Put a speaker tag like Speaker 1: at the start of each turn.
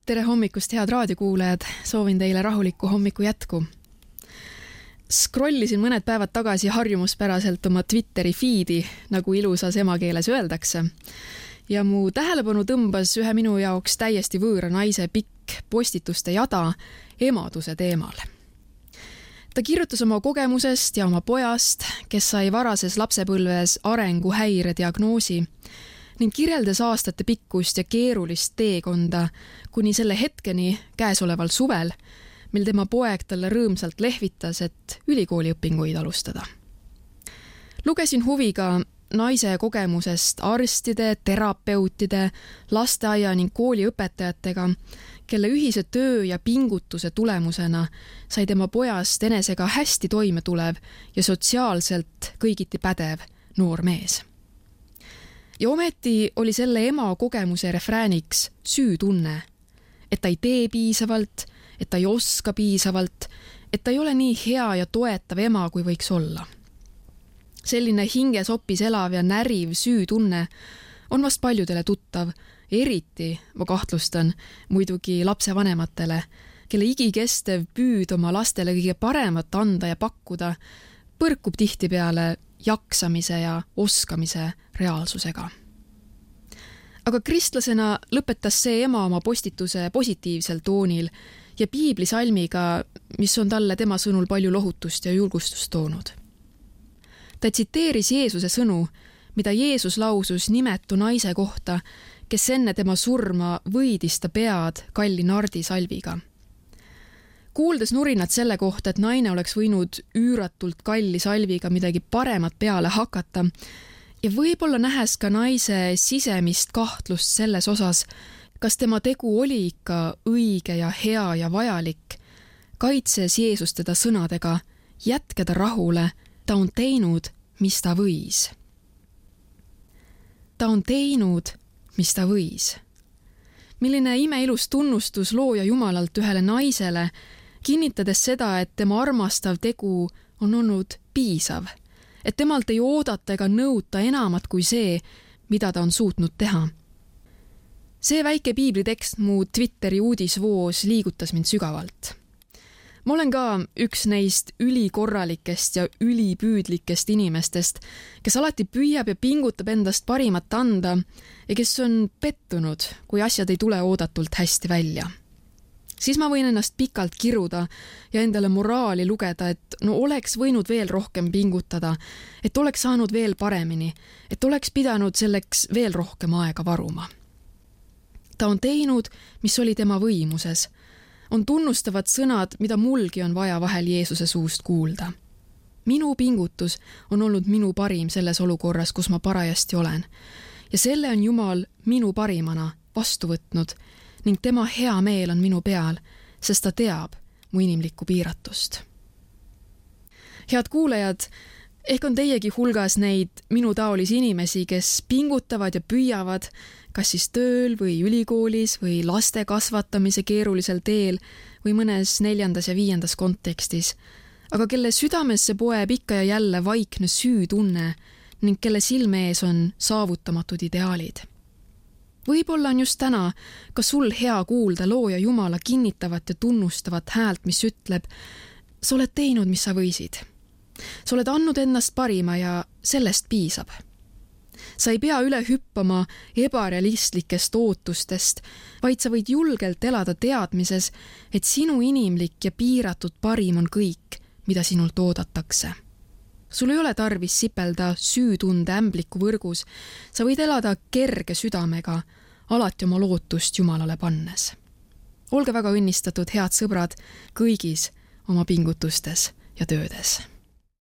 Speaker 1: Tere hommikust, head raadiokuulajad! Soovin teile rahulikku hommiku jätku. Scrollisin mõned päevad tagasi harjumuspäraselt oma Twitteri feedi, nagu ilusas emakeeles öeldakse. Ja mu tähelepanu tõmbas ühe minu jaoks täiesti võõra naise pikk postituste jada emaduse teemal. Ta kirjutas oma kogemusest ja oma pojast, kes sai varases lapsepõlves arenguhäire diagnoosi, ning kirjeldas aastate pikkust ja keerulist teekonda kuni selle hetkeni käesoleval suvel, mil tema poeg talle rõõmsalt lehvitas, et ülikooliõpinguid alustada. Lugesin huviga naise kogemusest arstide, terapeutide, lasteaia ning kooliõpetajatega, kelle ühise töö ja pingutuse tulemusena sai tema pojast enesega hästi toime tulev ja sotsiaalselt kõigiti pädev noor mees. Ja ometi oli selle ema kogemuse refrääniks süütunne, et ta ei tee piisavalt, et ta ei oska piisavalt, et ta ei ole nii hea ja toetav ema, kui võiks olla. Selline hingesopis elav ja näriv süütunne on vast paljudele tuttav, eriti, ma kahtlustan, muidugi lapsevanematele, kelle igikestev püüd oma lastele kõige paremat anda ja pakkuda, põrkub tihtipeale jaksamise ja oskamise reaalsusega. Aga kristlasena lõpetas see ema oma postituse positiivsel toonil ja piiblisalmiga, mis on talle tema sõnul palju lohutust ja julgustust toonud. Ta tsiteeris Jeesuse sõnu, mida Jeesus lausus nimetu naise kohta, kes enne tema surma võidis ta pead kalli nardisalviga. Kuuldes nurinat selle kohta, et naine oleks võinud üüratult kalli salviga midagi paremat peale hakata ja võib-olla nähes ka naise sisemist kahtlust selles osas, kas tema tegu oli ikka õige ja hea ja vajalik, kaitses Jeesus teda sõnadega, jätke ta rahule, ta on teinud, mis ta võis. Ta on teinud, mis ta võis. Milline imeilus tunnustus looja Jumalalt ühele naisele, kinnitades seda, et tema armastav tegu on olnud piisav, et temalt ei oodata ega nõuta enamat kui see, mida ta on suutnud teha. See väike piiblitekst mu Twitteri uudisvoos liigutas mind sügavalt. Ma olen ka üks neist ülikorralikest ja ülipüüdlikest inimestest, kes alati püüab ja pingutab endast parimat anda ja kes on pettunud, kui asjad ei tule oodatult hästi välja. Siis ma võin ennast pikalt kiruda ja endale moraali lugeda, et oleks võinud veel rohkem pingutada, et oleks saanud veel paremini, et oleks pidanud selleks veel rohkem aega varuma. Ta on teinud, mis oli tema võimuses. On tunnustavad sõnad, mida mulgi on vaja vahel Jeesuse suust kuulda. Minu pingutus on olnud minu parim selles olukorras, kus ma parajasti olen. Ja selle on Jumal minu parimana vastu võtnud ning tema hea meel on minu peal, sest ta teab mu inimlikku piiratust. Head kuulajad, ehk on teiegi hulgas neid minu taolisi inimesi, kes pingutavad ja püüavad, kas siis tööl või ülikoolis või laste kasvatamise keerulisel teel või mõnes 4. ja 5. kontekstis, aga kelle südamesse poeb ikka ja jälle vaikne süütunne ning kelle silme ees on saavutamatud ideaalid. Võib-olla on just täna ka sul hea kuulda looja Jumala kinnitavat ja tunnustavat häält, mis ütleb, sa oled teinud, mis sa võisid. Sa oled andnud ennast parima ja sellest piisab. Sa ei pea üle hüppama ebarealistlikest ootustest, vaid sa võid julgelt elada teadmises, et sinu inimlik ja piiratud parim on kõik, mida sinult oodatakse. Sul ei ole tarvis sipelda süütunde ämbliku võrgus, sa võid elada kerge südamega, alati oma lootust Jumalale pannes. Olge väga õnnistatud, head sõbrad, kõigis oma pingutustes ja töödes.